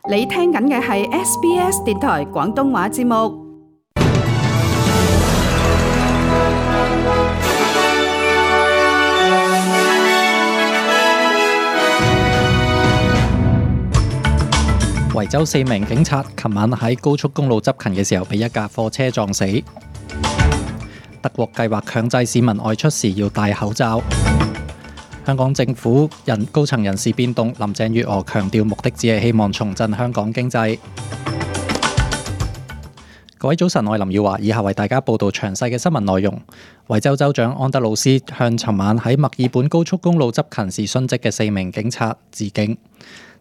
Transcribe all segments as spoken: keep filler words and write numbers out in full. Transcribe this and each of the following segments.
你聽緊嘅係 S B S 電台廣東話節目。維州四名警察琴晚喺高速公路執勤嘅時候，被一架貨車撞死。德國計劃強制市民外出時要戴口罩。香港政府人高層人事變動，林鄭月娥強調目的只係希望重振香港經濟。各位早晨，我係林耀華，以下為大家報道詳細嘅新聞內容。維州州長安德魯斯向尋晚喺墨爾本高速公路執勤時殉職嘅四名警察致敬。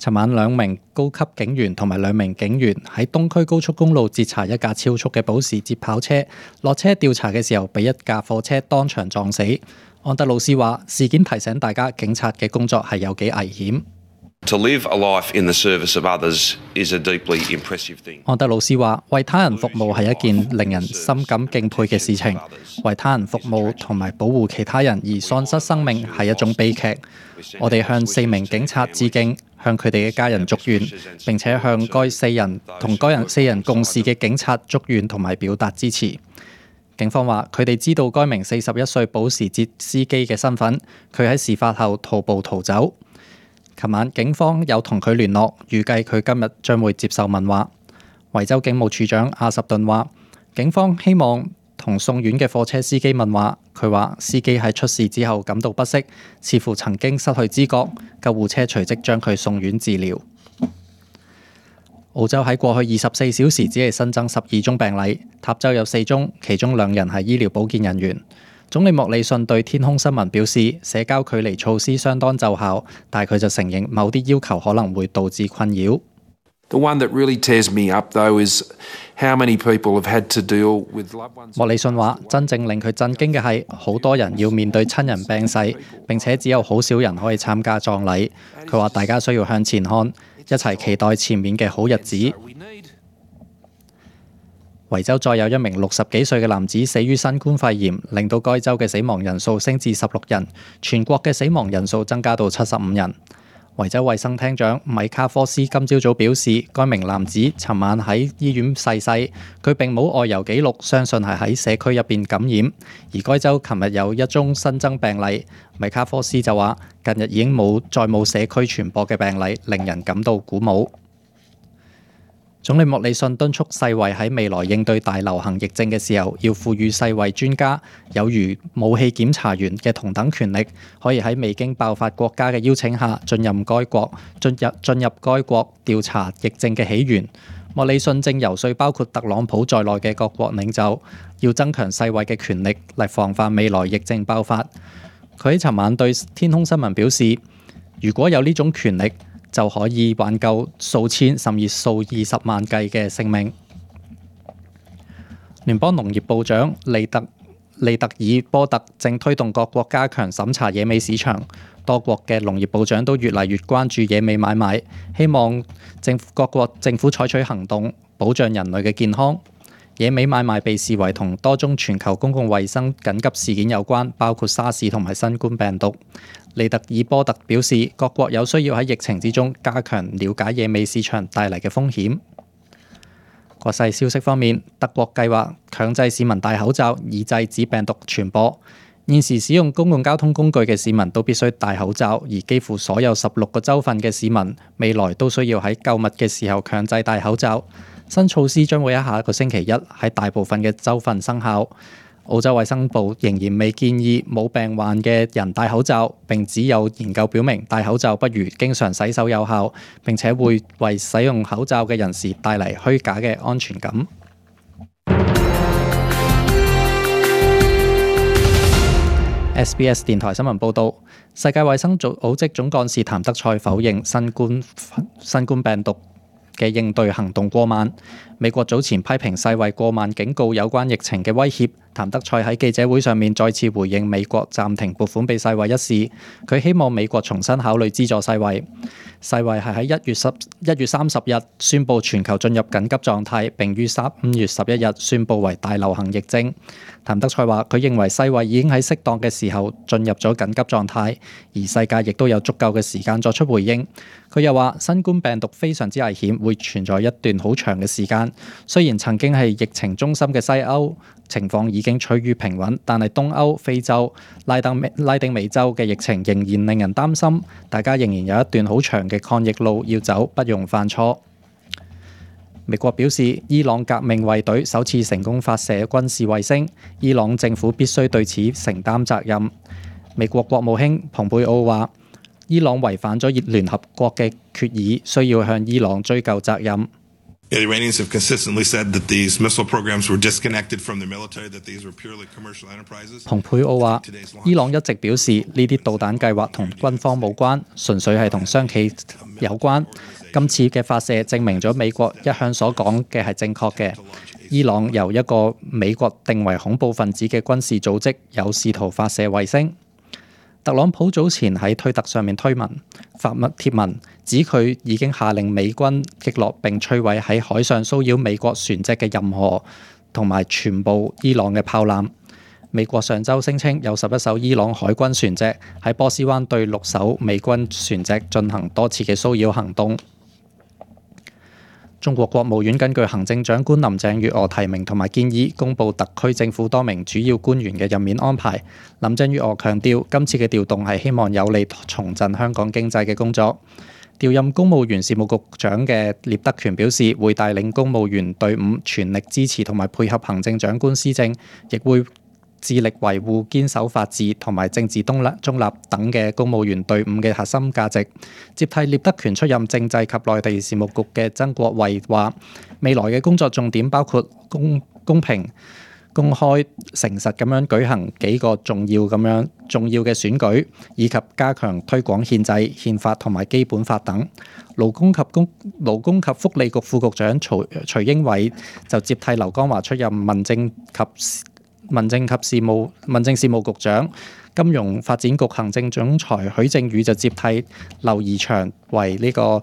尋晚兩名高級警員同埋兩名警員喺東區高速公路截查一架超速嘅保時捷跑車，落車調查嘅時候被一架貨車當場撞死。安德魯斯話：事件提醒大家，警察嘅工作係有幾危險。To live a life in the service of others is a deeply impressive thing. 安德魯斯話：為他人服務係一件令人深感敬佩嘅事情，為他人服務同埋保護其他人而喪失生命係一種悲劇。我哋向四名警察致敬，向佢哋嘅家人祝願，並且向該四人同該人四人共事嘅警察祝願同埋表達支持。警方話：佢哋知道該名四十一歲保時捷司機嘅身份，佢喺事發後徒步逃走。琴晚警方有同佢聯絡，預計佢今日將會接受問話。維州警務處長阿什頓話：警方希望同送院嘅貨車司機問話。佢話司機喺出事之後感到不適，似乎曾經失去知覺，救護車隨即將佢送院治療。澳洲喺過去二十四小時只係新增十二宗病例，塔州有四宗，其中兩人係醫療保健人員。總理莫里遜對天空新聞表示，社交距離措施相當奏效，但係佢就承認某啲要求可能會導致困擾。The one that really tears me up, though, is how many people have had to deal with loved ones. 莫里遜話：真正令佢震驚嘅係，好多人要面對親人病逝，並且只有好少人可以參加葬禮。佢話：大家需要向前看，一齊期待前面嘅好日子。維州再有一名六十幾歲嘅男子死於新冠肺炎，令到該州嘅死亡人數升至十六人，全國嘅死亡人數增加到七十五人。維州衛生廳長米卡科斯今朝早表示，該名男子尋晚喺醫院逝世，佢並冇外遊記錄，相信係喺社區入邊感染。而該州琴日有一宗新增病例，米卡科斯就話：近日已經冇再冇社區傳播嘅病例，令人感到鼓舞。總理莫里遜敦促世衛喺未來應對大流行疫症嘅時候，要賦予世衛專家有如武器檢查員嘅同等權力，可以喺未經爆發國家嘅邀請下進入該國進入進入該國調查疫症嘅起源。莫里遜正游說包括特朗普在內嘅各國領袖，要增強世衛嘅權力嚟防範未來疫症爆發。佢喺尋晚對天空新聞表示，如果有呢種權力，就可以挽救數千甚至數二十萬計嘅性命。聯邦農業部長利特利特爾波特正推動各國加強審查野味市場，多國嘅農業部長都越嚟越關注野味買賣，希望政府各國政府採取行動，保障人類嘅健康。野味買賣被視為同多宗全球公共衛生緊急事件有關，包括沙士同埋新冠病毒。利特爾波特表示，各國有需要喺疫情之中加強了解野味市場帶嚟嘅風險。國際消息方面，德國計劃強制市民戴口罩，以制止病毒傳播。現時使用公共交通工具嘅市民都必須戴口罩，而幾乎所有十六個州份嘅市民未來都需要喺購物嘅時候強制戴口罩。新措施將會喺下一個星期一喺大部分嘅州份生效。澳洲衛生部仍然未建議冇病患嘅人戴口罩，並只有研究表明戴口罩不如經常洗手有效，並且會為使用口罩嘅人士帶嚟虛假嘅安全感。S B S 電台新聞報導，世界衛生組織總幹事譚德塞否認新冠新冠病毒嘅應對行動過慢。美國早前批評世衛過慢警告有關疫情嘅威脅，譚德塞喺記者會上面再次回應美國暫停撥款俾世衛一事，佢希望美國重新考慮資助世衛。世衛係喺一月十一月三十日宣布全球進入緊急狀態，並於三月十一日宣布為大流行疫症。譚德塞話：佢認為世衛已經喺適當嘅時候進入咗緊急狀態，而世界亦都有足夠嘅時間作出回應。佢又話：新冠病毒非常之危險，會存在一段好長嘅時間。雖然曾經係疫情中心嘅西歐情況已經趨於平穩，但係東歐、非洲、拉丁拉丁美洲嘅疫情仍然令人擔心，大家仍然有一段好長嘅抗疫路要走，不容犯錯。美國表示，伊朗革命衛隊首次成功發射軍事衛星，伊朗政府必須對此承擔責任。美國國務卿蓬佩奧話：伊朗違反咗聯合國嘅決議，需要向伊朗追究責任。The Iranians have consistently said that these missile programs were disconnected from the military, that these were purely commercial enterprises. 蓬佩奧話：伊朗一直表示呢啲導彈計劃同軍方無關，純粹係同商企有關。今次嘅發射證明咗美國一向所講嘅係正確嘅。伊朗由一個美國定為恐怖分子嘅軍事組織，有試圖發射衛星。特朗普早前喺推特上面推文發文貼文，指佢已經下令美軍擊落並摧毀喺海上騷擾美國船隻嘅任何同埋全部伊朗嘅炮艦。美國上週聲稱有十一艘伊朗海軍船隻喺波斯灣對六艘美軍船隻進行多次嘅騷擾行動。中國國務院根據行政長官林鄭月娥提名同埋建議，公布特區政府多名主要官員嘅任免安排。林鄭月娥強調，今次嘅調動係希望有利重振香港經濟嘅工作。調任公務員事務局長嘅聶德權表示，會帶領公務員隊伍全力支持同埋配合行政長官施政，亦會致力維護堅守法治同埋政治中立中立等嘅公務員隊伍嘅核心價值。接替聶德權出任政制及內地事務局嘅曾國衛話：未來嘅工作重點包括公公平、公開、誠實咁樣舉行幾個重要咁樣重要嘅選舉，以及加強推廣憲制、憲法同埋基本法等。勞工及公勞工及福利局副局長徐徐英偉就接替劉江華出任民政及民政及事務民政事務局長。金融發展局行政總裁許正宇就接替劉怡翔為呢個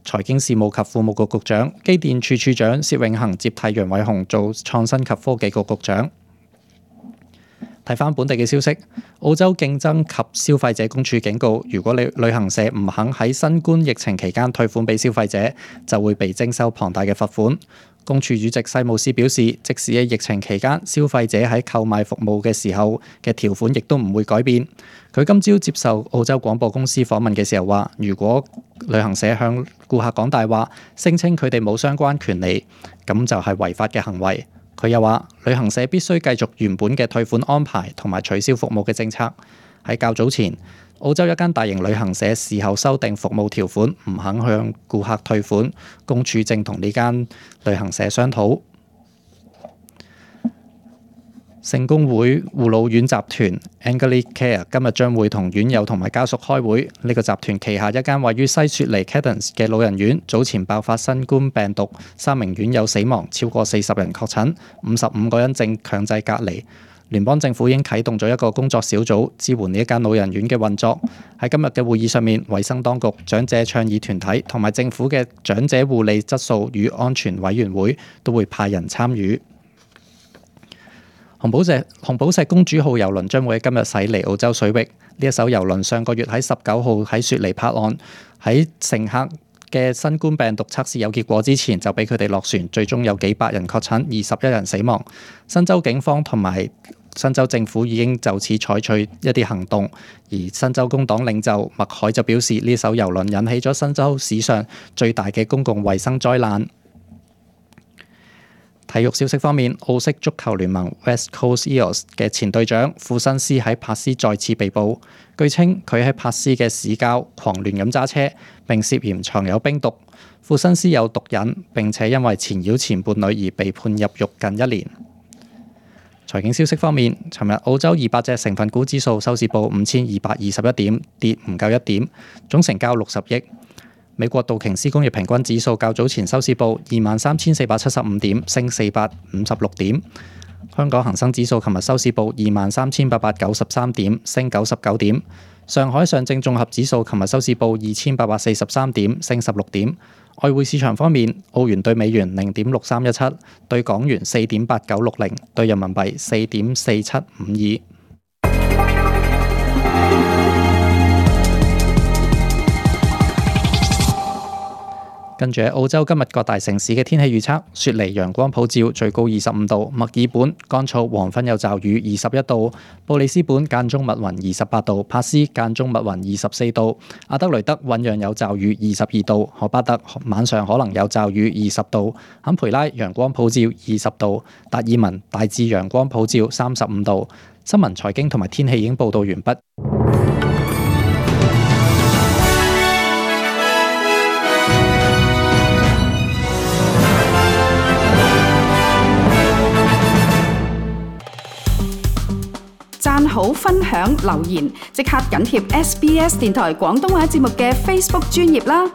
財經事務及庫務局局長。機電處處長薛永恒接替楊偉雄做創新及科技局局長。睇返本地嘅消息，澳洲競爭及消費者公署警告，如果你旅行社唔肯喺新冠疫情期間退款俾消費者，就會被徵收龐大嘅罰款。公署主席西姆斯表示，即使喺疫情期間，消費者喺購買服務嘅時候嘅條款亦都唔會改變。佢今朝接受澳洲廣播公司訪問嘅時候話，如果旅行社向顧客講大話，聲稱佢哋冇相關權利，咁就係違法嘅行為。佢又話，旅行社必須繼續原本嘅退款安排同埋取消服務嘅政策。喺較早前，澳洲一間大型旅行社事後修訂服務條款，唔肯向顧客退款。公署正同呢間旅行社商討。聖公會護老院集團 Anglicare 今日將會同院友同埋家屬開會。呢、這個集團旗下一間位於西雪梨 Cadence 嘅老人院，早前爆發新冠病毒，三名院友死亡，超過四十人確診，五十五個人正強制隔離。聯邦政府已經啟動咗一個工作小組，支援呢一間老人院嘅運作。喺今日嘅會議上面，衛生當局、長者倡議團體同埋政府嘅長者護理質素與安全委員會都會派人參與。紅寶石紅寶石公主號郵輪將會喺今日駛離澳洲水域。呢一艘郵輪上個月喺十九號喺雪梨泊岸，喺乘客嘅新冠病毒測試有結果之前就俾佢哋落船，最終有幾百人確診，二十一人死亡。新州警方同埋新州政府已經就此採取一啲行動，而新州工黨領袖麥凱就表示，呢艘郵輪引起咗新州史上最大嘅公共衛生災難。體育消息方面，澳式足球聯盟 West Coast Eels 嘅前隊長庫辛斯喺珀斯再次被捕，據稱佢喺珀斯嘅市郊狂亂咁揸車，並涉嫌藏有冰毒。庫辛斯有毒癮，並且因為纏繞前伴侶而被判入獄近一年。財經消息方面，尋日澳洲二百隻成分股指數收市報五千二百二十一點，跌唔夠一點，總成交六十億。美國道瓊斯工業平均指數較早前收市報二萬三千四百七十五點，升四百五十六點。香港恒生指數琴日收市報二萬三千八百九十三點，升九十九點。上海上證綜合指數琴日收市報二千八百四十三點，升十六點。外匯市場方面，澳元對美元零點六三一七，對港元四點八九六零，對人民幣四點四七五二。跟住喺澳洲今日各大城市嘅天氣預測：雪梨陽光普照，最高二十五度；墨爾本乾燥，黃昏有驟雨，二十一度；布里斯本間中密雲，二十八度；帕斯間中密雲，二十四度；阿德雷德醞釀有驟雨，二十二度；荷巴特晚上可能有驟雨，二十度；坎培拉陽光普照，二十度；達爾文大致陽光普照，三十五度。新聞、財經同埋天氣已經報道完畢。讚好、分享、留言，即刻緊貼 S B S 電台廣東話節目嘅 Facebook 專頁啦！